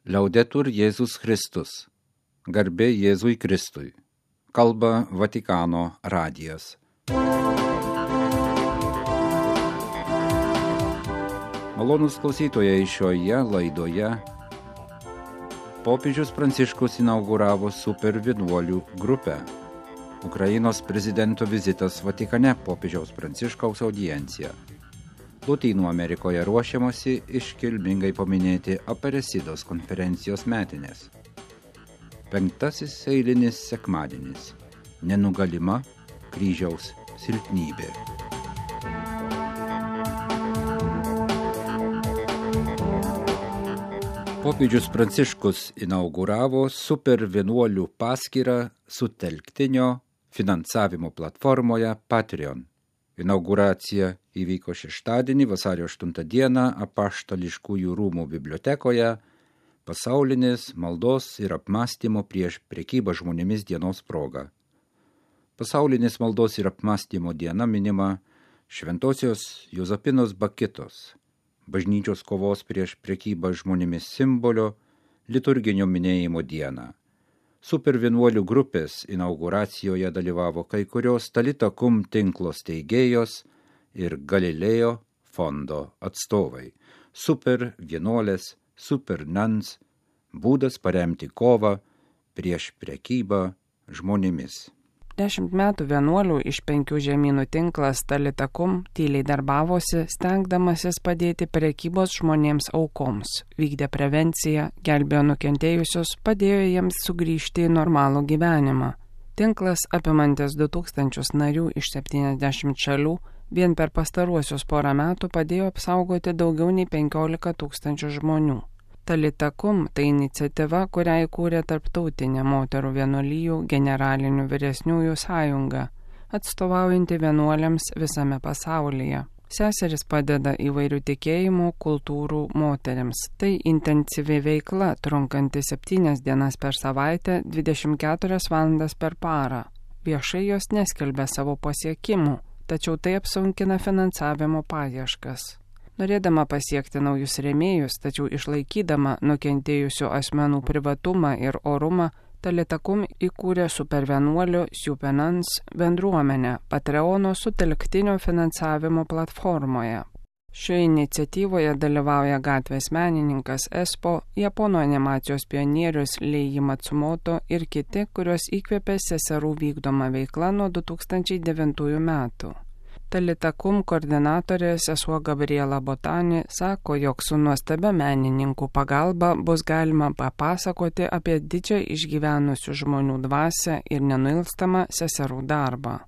Laudetur Jėzus Kristus. Garbė Jėzui Kristui. Kalba Vatikano radijas. Malonūs klausytojai, šioje laidoje popiežius Pranciškus inauguravo super vienuolių grupę. Ukrainos prezidento vizitas Vatikane, popiežiaus Pranciškaus audiencija. Lotynų Amerikoje ruošiamasi iškilmingai paminėti Aparecidos konferencijos metinės. 5. eilinis sekmadienis. Nenugalima kryžiaus silpnybė. Popiežius Pranciškus inauguravo super vienuolių paskyrą sutelktinio finansavimo platformoje Patreon. Inauguracija įvyko šeštadienį, vasario 8 dieną, Apaštališkųjų rūmų bibliotekoje, pasaulinės maldos ir apmąstymo prieš prekybą žmonėmis dienos proga. Pasaulinės maldos ir apmąstymo diena minima Šventosios Juzapinos Bakitos, bažnyčios kovos prieš prekybą žmonėmis simbolio, liturginio minėjimo dieną. Super vienuolių grupės inauguracijoje dalyvavo kai kurios Talita Kum tinklo steigėjos ir Galilėjo fondo atstovai. Super vienuolės, super nuns, būdas paremti kovą prieš prekybą žmonėmis. 10 metų vienuolių iš 5 žemynų tinklas Talita Kum tyliai darbavosi, stengdamasis padėti prekybos žmonėms aukoms, vykdė prevenciją, gelbėjo nukentėjusius, padėjo jiems sugrįžti į normalų gyvenimą. Tinklas apimantis 2000 narių iš 70 šalių vien per pastaruosius porą metų padėjo apsaugoti daugiau nei 15 000 žmonių. Talita Kum tai iniciatyva, kurią įkūrė Tarptautinė moterų vienuolijų generalinių vyresniųjų sąjunga, atstovaujanti vienuoliams visame pasaulyje. Seseris padeda įvairių tikėjimų, kultūrų moteriams. Tai intensyvi veikla, trunkanti 7 dienas per savaitę, 24 valandas per parą. Viešai jos neskelbia savo pasiekimų, tačiau tai apsunkina finansavimo paieškas. Norėdama pasiekti naujus rėmėjus, tačiau išlaikydama nukentėjusių asmenų privatumą ir orumą, Talita Kum įkūrė super vienuolių Super Nuns bendruomenę Patreono sutelktinio finansavimo platformoje. Šioje iniciatyvoje dalyvauja gatvės menininkas Espo, japonų animacijos pionierius Leiji Matsumoto ir kiti, kurios įkvėpė seserų vykdoma veikla nuo 2009 metų. Talita Kum koordinatorė sesuo Gabriela Botani sako, jog su nuostabia menininkų pagalba bus galima papasakoti apie didžią išgyvenusių žmonių dvasią ir nenuilstamą seserų darbą.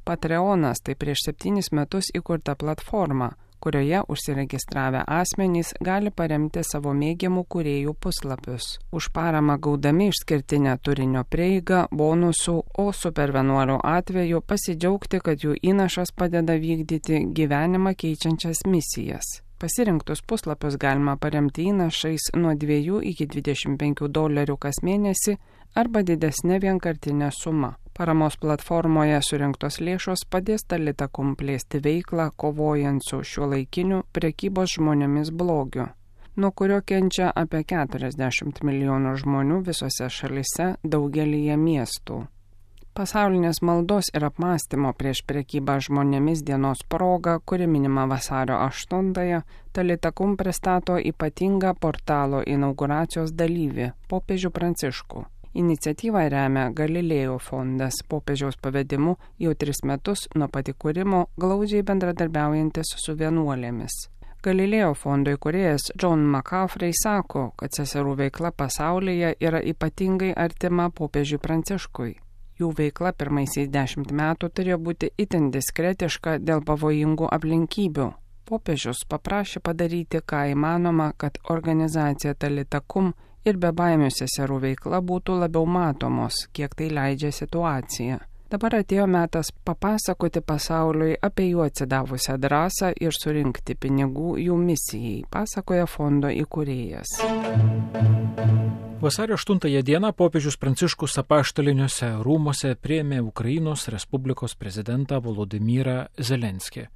Patreonas tai prieš 7 metus įkurta platforma, kurioje užsiregistravę asmenys gali paremti savo mėgiamų kūrėjų puslapius. Už paramą gaudami išskirtinę turinio prieigą, bonusų, o super vienuolių atveju pasidžiaugti, kad jų įnašas padeda vykdyti gyvenimą keičiančias misijas. Pasirinktus puslapius galima paremti įnašais nuo 2 iki $25 kas mėnesį arba didesnė vienkartinė suma. Paramos platformoje surinktos lėšos padės Talita Kum plėsti veiklą, kovojant su šiuolaikiniu prekybos žmonėmis blogiu, nuo kurio kenčia apie 40 milijonų žmonių visose šalise, daugelyje miestų. Pasaulinės maldos ir apmąstymo prieš prekybą žmonėmis dienos proga, kuri minima vasario 8-ąją, Talita Kum pristato ypatingą portalo inauguracijos dalyvį, popiežių Pranciškų. Iniciatyvą remia Galilėjo fondas, popiežiaus pavedimu jau 3 metus nuo pat įkūrimo glaudžiai bendradarbiaujantis su vienuolėmis. Galilėjo fondo įkūrėjas John McCaffrey sako, kad seserų veikla pasaulyje yra ypatingai artima popiežiui Pranciškui. Jų veikla pirmaisiais 10 metų turėjo būti itin diskretiška dėl pavojingų aplinkybių. Popiežius paprašė padaryti, ką įmanoma, kad organizacija Talita Kum ir bebaimių seserų veikla būtų labiau matomos, kiek tai leidžia situacija. Dabar atėjo metas papasakoti pasauliui apie jų atsidavusią drąsą ir surinkti pinigų jų misijai, pasakoja fondo įkūrėjas. Vasario 8 dieną popiežius Pranciškus apaštaliniuose rūmuose priėmė Ukrainos Respublikos prezidentą Volodymyrą Zelenskį.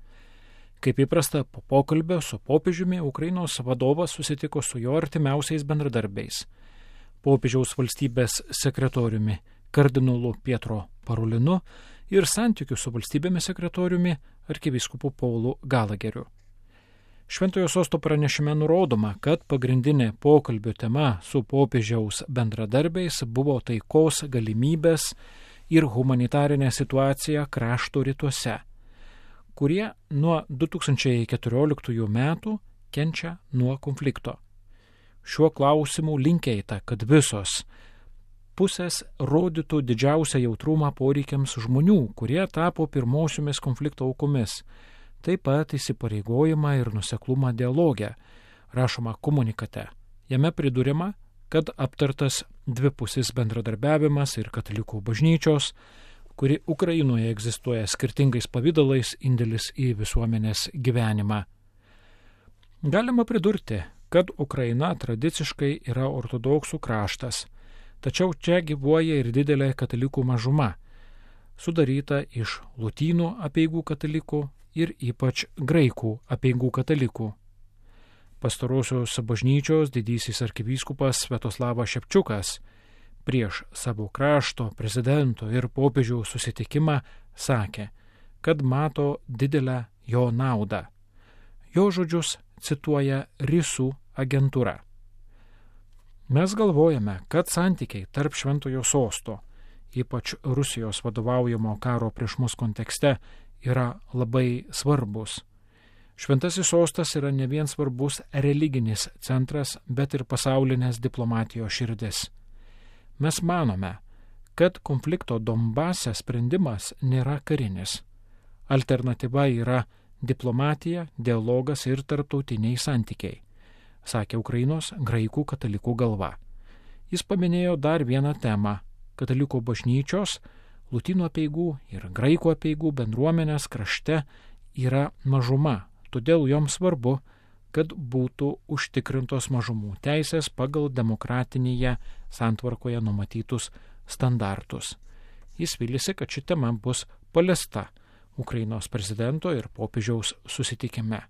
Kaip įprasta, po pokalbio su popiežiumi Ukrainos vadovas susitiko su jo artimiausiais bendradarbiais – popiežiaus valstybės sekretoriumi kardinolu Pietro Parolinu ir santykių su valstybėmis sekretoriumi arkivyskupu Paulu Galageriu. Šventojo sosto pranešime nurodoma, kad pagrindinė pokalbio tema su popiežiaus bendradarbiais buvo taikos galimybės ir humanitarinė situacija krašto rytuose, kurie nuo 2014 metų kenčia nuo konflikto. Šiuo klausimu linkėta, kad visos pusės rodytų didžiausią jautrumą poreikiams žmonių, kurie tapo pirmosiomis konflikto aukomis, taip pat įsipareigojimą ir nuseklumą dialogę, rašoma komunikate. Jame priduriama, kad aptartas dvipusis bendradarbiavimas ir katalikų bažnyčios, kuri Ukrainoje egzistuoja skirtingais pavydalais, indėlis į visuomenės gyvenimą. Galima pridurti, kad Ukraina tradiciškai yra ortodoksų kraštas, tačiau čia gyvuoja ir didelė katalikų mažuma, sudaryta iš lotynų apeigų katalikų ir ypač graikų apeigų katalikų. Pastarosios bažnyčios didysis arkivyskupas Sviatoslavas Šepčiukas prieš savo krašto, prezidento ir popiežiaus susitikimą sakė, kad mato didelę jo naudą. Jo žodžius cituoja Risų agentūra. Mes galvojame, kad santykiai tarp Šventojo sosto, ypač Rusijos vadovaujamo karo prieš mus kontekste, yra labai svarbus. Šventasis sostas yra ne vien svarbus religinis centras, bet ir pasaulinės diplomatijos širdis. Mes manome, kad konflikto Donbase sprendimas nėra karinis. Alternatyva yra diplomatija, dialogas ir tarptautiniai santykiai, sakė Ukrainos graikų katalikų galva. Jis paminėjo dar vieną temą – katalikų bažnyčios, lotynų apeigų ir graikų apeigų bendruomenės krašte yra mažuma, todėl joms svarbu, kad būtų užtikrintos mažumų teisės pagal demokratinėje santvarkoje numatytus standartus. Jis vylėsi, kad ši tema bus paliesta Ukrainos prezidento ir popiežiaus susitikime.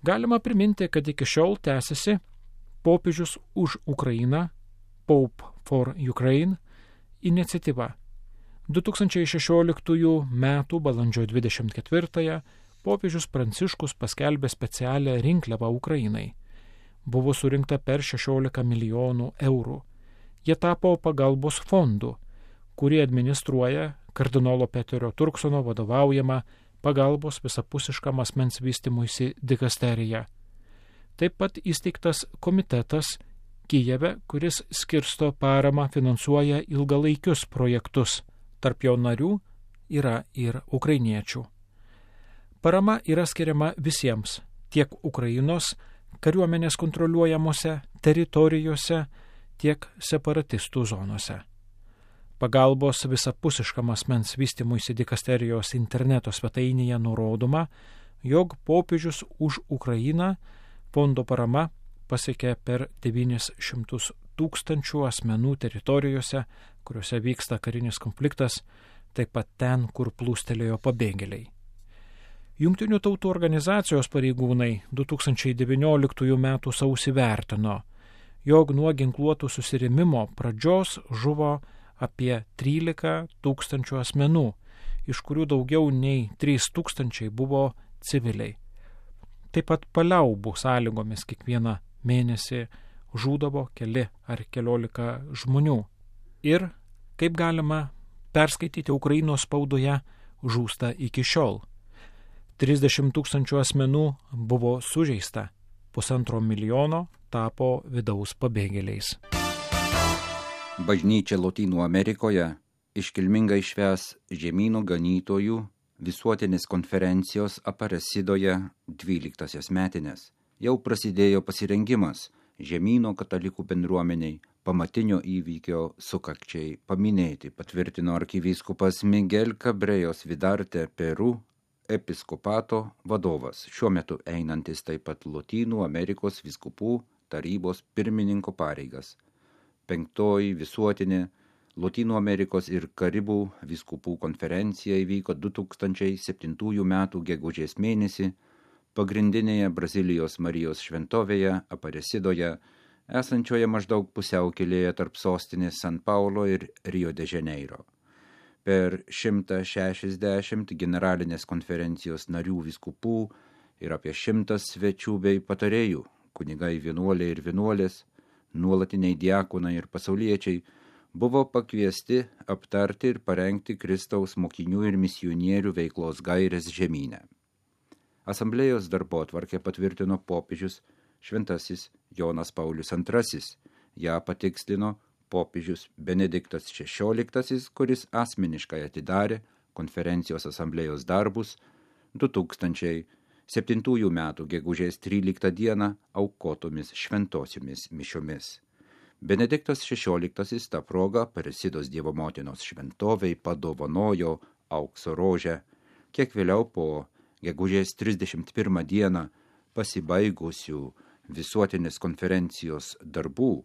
Galima priminti, kad iki šiol tęsiasi popiežius už Ukrainą, Pope for Ukraine iniciatyva. 2016 m. balandžio 24 popiežius Pranciškus paskelbė specialią rinkliavą Ukrainai. Buvo surinkta per 16 milijonų eurų. Jie tapo pagalbos fondu, kurį administruoja kardinolo Peterio Turksono vadovaujama pagalbos visapusiškam asmens vystymuisi dikasterija. Taip pat įsteigtas komitetas Kijeve, kuris skirsto paramą, finansuoja ilgalaikius projektus. Tarp jo narių yra ir ukrainiečių. Parama yra skiriama visiems, tiek Ukrainos kariuomenės kontroliuojamose teritorijose, tiek separatistų zonose. Pagalbos visapusiškam asmens vystymuisi dikasterijos interneto svetainėje nurodoma, jog popiežius už Ukrainą fondo parama pasiekė per 900 000 asmenų teritorijose, kuriuose vyksta karinis konfliktas, taip pat ten, kur plūstelėjo pabėgėliai. Jungtinių tautų organizacijos pareigūnai 2019 m. sausį vertino, jog nuo ginkluotų susirėmimo pradžios žuvo apie 13 000 asmenų, iš kurių daugiau nei 3 000 buvo civiliai. Taip pat paliaubų sąlygomis kiekvieną mėnesį žūdavo keli ar keliolika žmonių. Ir, kaip galima perskaityti Ukrainos spaudoje, žūsta iki šiol. 30 000 asmenų buvo sužeista, 1,5 milijono tapo vidaus pabėgėliais. Bažnyčia Lotynų Amerikoje iškilmingai švęs žemynų ganytojų visuotinės konferencijos Aparecidoje 12 metinės. Jau prasidėjo pasirengimas žemyno katalikų bendruomeniai pamatinio įvykio sukakčiai paminėti, patvirtino arkivyskupas Miguel Cabrejos Vidarte Peru episkopato vadovas, šiuo metu einantis taip pat Lotynų Amerikos vyskupų tarybos pirmininko pareigas. 5. visuotinė Lotynų Amerikos ir Karibų vyskupų konferencija įvyko 2007 metų gegužės mėnesį pagrindinėje Brazilijos Marijos šventovėje Aparecidoje, esančioje maždaug pusiaukelėje tarp sostinės San Paulo ir Rio de Janeiro. Per 160 generalinės konferencijos narių vyskupų ir apie 100 svečių bei patarėjų, kunigai vienuoliai ir vienuolės, nuolatiniai diakonai ir pasauliečiai, buvo pakviesti aptarti ir parengti Kristaus mokinių ir misionierių veiklos gairės žemyne. Asamblėjos darbotvarkę patvirtino popiežius Šventasis Jonas Paulius II. Ją patikslino popiežius Benediktas XVI, kuris asmeniškai atidarė konferencijos asamblėjos darbus 2007 metų gegužės 13 dieną aukotomis šventosiomis mišiomis. Benediktas XVI tą progą Aparecidos Dievo motinos šventovei padovanojo aukso rožę, kiek vėliau po gegužės 31 dieną pasibaigusių visuotinės konferencijos darbų,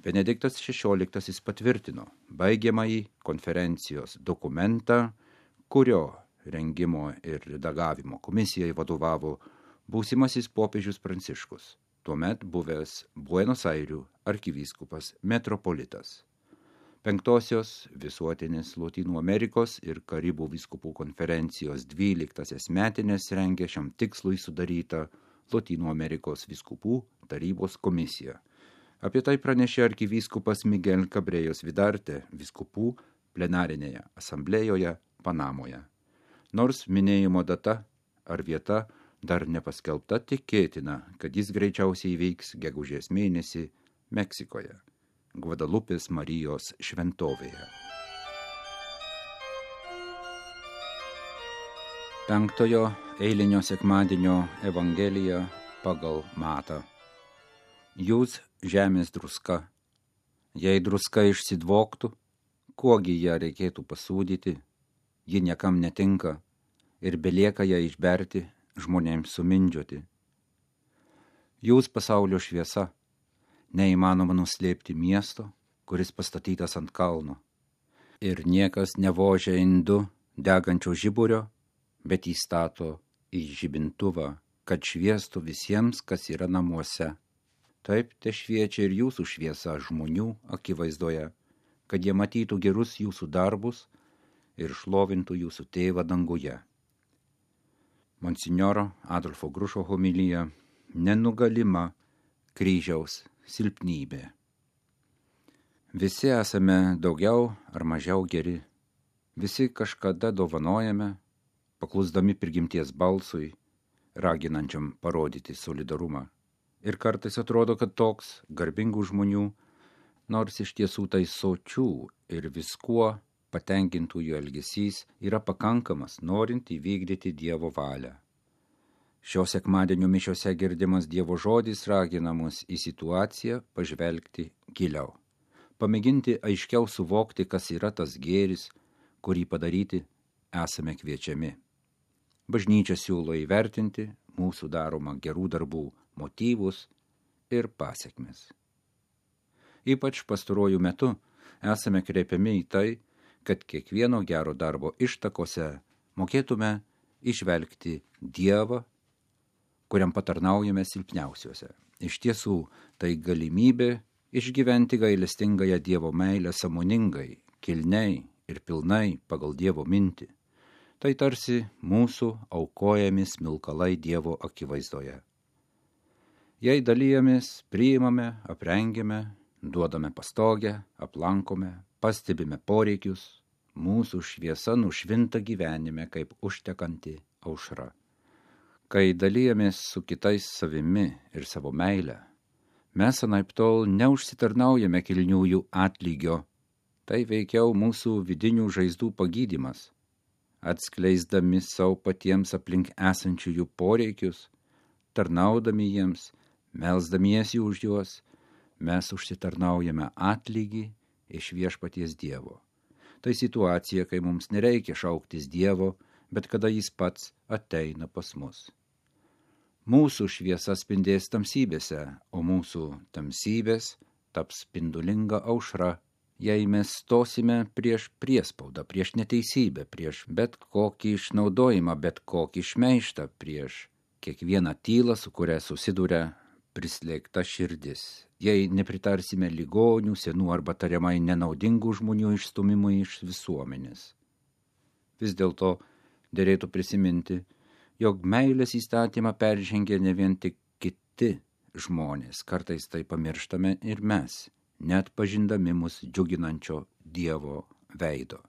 Benediktas XVI patvirtino baigiamąjį konferencijos dokumentą, kurio rengimo ir redagavimo komisijai vadovavo būsimasis popiežius Pranciškus, tuomet buvęs Buenos Airių arkivyskupas metropolitas. 5. visuotinės Lotynų Amerikos ir Karibų vyskupų konferencijos 12 metinės rengė šiam tikslui sudaryta Lotynų Amerikos vyskupų tarybos komisija. Apie tai pranešė arkivyskupas Miguel Cabrejos Vidarte vyskupų plenarinėje asamblėjoje Panamoje. Nors minėjimo data ar vieta dar nepaskelbta, tikėtina, kad jis greičiausiai įvyks gegužės mėnesį Meksikoje, Gvadalupės Marijos šventovėje. 5. eilinio sekmadienio Evangelija pagal Matą. Jūs žemės druska. Jei druska išsidvoktų, kuogi ją reikėtų pasūdyti, ji niekam netinka ir belieka ją išberti žmonėms sumindžioti. Jūs pasaulio šviesa, neįmanoma nuslėpti miesto, kuris pastatytas ant kalno. Ir niekas nevožia indu degančio žiburio, bet įstato į žibintuvą, kad šviestų visiems, kas yra namuose. Taip te šviečia ir jūsų šviesa žmonių akivaizdoje, kad jie matytų gerus jūsų darbus ir šlovintų jūsų tėvą danguje. Monsinjoro Adolfo Grušo homilija nenugalima kryžiaus silpnybė. Visi esame daugiau ar mažiau geri. Visi kažkada dovanojame, paklusdami prigimties balsui, raginančiam parodyti solidarumą. Ir kartais atrodo, kad toks garbingų žmonių, nors iš tiesų tai sočių ir viskuo patenkintųjų elgesys yra pakankamas, norint įvykdyti Dievo valią. Šio sekmadienio mišiose girdimas Dievo žodis ragina mus į situaciją pažvelgti giliau, pamėginti aiškiau suvokti, kas yra tas gėris, kurį padaryti esame kviečiami. Bažnyčia siūlo įvertinti mūsų daromą gerų darbų motyvus ir pasekmes. Ypač pastaruoju metu esame kreipiami į tai, kad kiekvieno gero darbo ištakose mokėtume įžvelgti Dievą, kuriam patarnaujame silpniausiuose. Iš tiesų, tai galimybė išgyventi gailestingąją Dievo meilę sąmoningai, kilniai ir pilnai pagal Dievo mintį. Tai tarsi mūsų aukojami smilkalai Dievo akivaizdoje. Jei dalijamės, priimame, aprengiame, duodame pastogę, aplankome, pastebime poreikius, mūsų šviesa nušvinta gyvenime kaip užtekanti aušra. Kai dalijamės su kitais savimi ir savo meilę, mes anaiptol neužsitarnaujame kilniųjų atlygio, tai veikiau mūsų vidinių žaizdų pagydymas, atskleisdami savo patiems aplink esančiųjų poreikius, tarnaudami jiems, melsdamiesi už juos, mes užsitarnaujame atlygį iš viešpaties Dievo. Tai situacija, kai mums nereikia šauktis Dievo, bet kada jis pats ateina pas mus. Mūsų šviesa spindės tamsybėse, o mūsų tamsybės taps spindulinga aušra jei mes stosime prieš priespaudą, prieš neteisybę, prieš bet kokį išnaudojimą, bet kokį šmeižtą, prieš kiekvieną tylą, su kuria susiduria prislėgta širdis, jei nepritarsime ligonių, senų arba tariamai nenaudingų žmonių išstumimui iš visuomenės. Vis dėlto derėtų prisiminti, jog meilės įstatymą peržengia ne vien tik kiti žmonės, kartais tai pamirštame ir mes, net pažindami mus džiuginančio Dievo veido.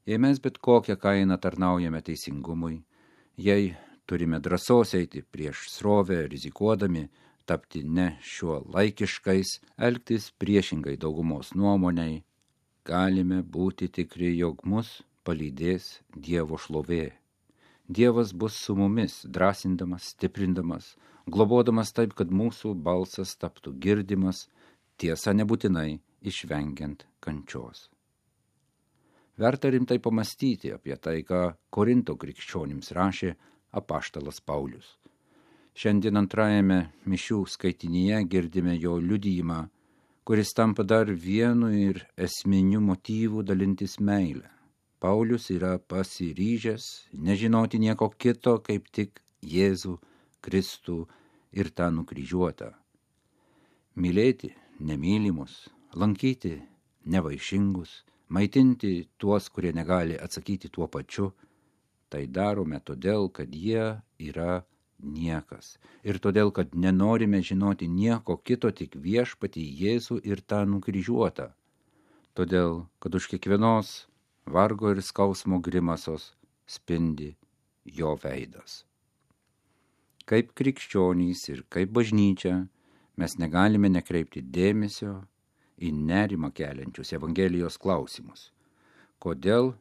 Jei mes bet kokią kainą tarnaujame teisingumui, jei turime drąsos eiti prieš srovę, rizikuodami tapti ne šiuo laikiškais, elgtis priešingai daugumos nuomoniai, galime būti tikri, jog mus palydės Dievo šlovė. Dievas bus su mumis, drąsindamas, stiprindamas, globodamas taip, kad mūsų balsas taptų girdimas, tiesa nebūtinai išvengiant kančios. Verta rimtai pamastyti apie tai, ką Korinto krikščionims rašė apaštalas Paulius. Šiandien antrajame mišių skaitinyje girdime jo liudijimą, kuris tampa dar vienu ir esminiu motyvu dalintis meilę. Paulius yra pasiryžęs nežinoti nieko kito, kaip tik Jėzų Kristų ir tą nukryžiuotą. Mylėti nemylimus, lankyti nevaišingus, maitinti tuos, kurie negali atsakyti tuo pačiu, tai darome todėl, kad jie yra niekas. Ir todėl, kad nenorime žinoti nieko kito, tik viešpatį Jėzų ir tą nukryžiuotą. Todėl, kad už kiekvienos vargo ir skausmo grimasos spindi jo veidas. Kaip krikščionys ir kaip bažnyčia, mes negalime nekreipti dėmesio į nerimą keliančius Evangelijos klausimus. Kodėl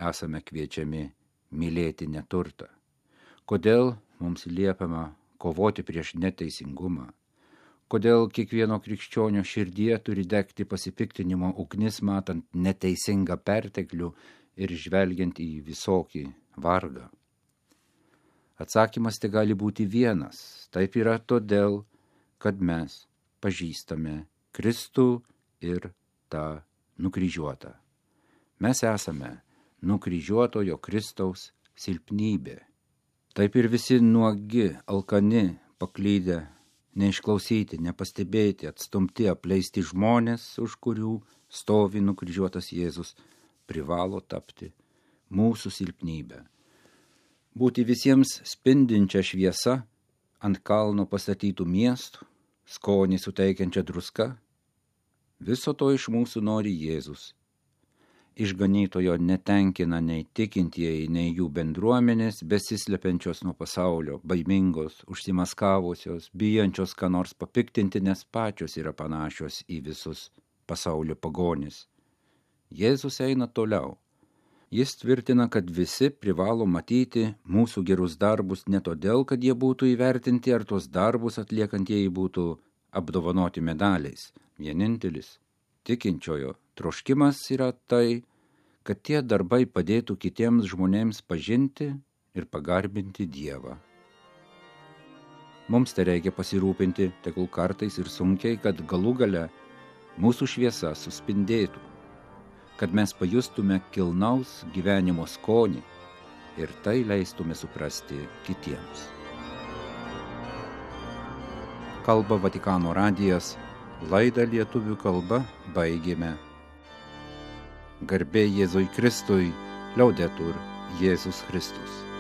esame kviečiami mylėti neturtą? Kodėl mums liepiama kovoti prieš neteisingumą? Kodėl kiekvieno krikščionio širdyje turi degti pasipiktinimo ugnis, matant neteisingą perteklių ir žvelgiant į visokį vargą? Atsakymas tai gali būti vienas. Taip yra todėl, kad mes pažįstame Kristų ir tą nukryžiuotą. Mes esame nukryžiuotojo Kristaus silpnybė. Taip ir visi nuogi, alkani, paklydę, neišklausyti, nepastebėti, atstumti, apleisti žmonės, už kurių stovi nukryžiuotas Jėzus, privalo tapti mūsų silpnybę. Būti visiems spindinčia šviesa ant kalno pastatytų miestų, skonį suteikiančia druska, viso to iš mūsų nori Jėzus. Išganytojo netenkina nei tikintieji, nei jų bendruomenės, besislepiančios nuo pasaulio, baimingos, užsimaskavusios, bijančios ką nors papiktinti, nes pačios yra panašios į visus pasaulio pagonis. Jėzus eina toliau. Jis tvirtina, kad visi privalo matyti mūsų gerus darbus ne todėl, kad jie būtų įvertinti ar tuos darbus atliekantieji būtų apdovanoti medaliais. Vienintelis tikinčiojo troškimas yra tai, kad tie darbai padėtų kitiems žmonėms pažinti ir pagarbinti Dievą. Mums tai reikia pasirūpinti, tegul kartais ir sunkiai, kad galų gale mūsų šviesa suspindėtų, kad mes pajustume kilnaus gyvenimo skonį ir tai leistume suprasti kitiems. Kalba Vatikano radijas, laidą lietuvių kalba baigėme. Garbė Jėzui Kristui, Laudetur Jėzus Kristus.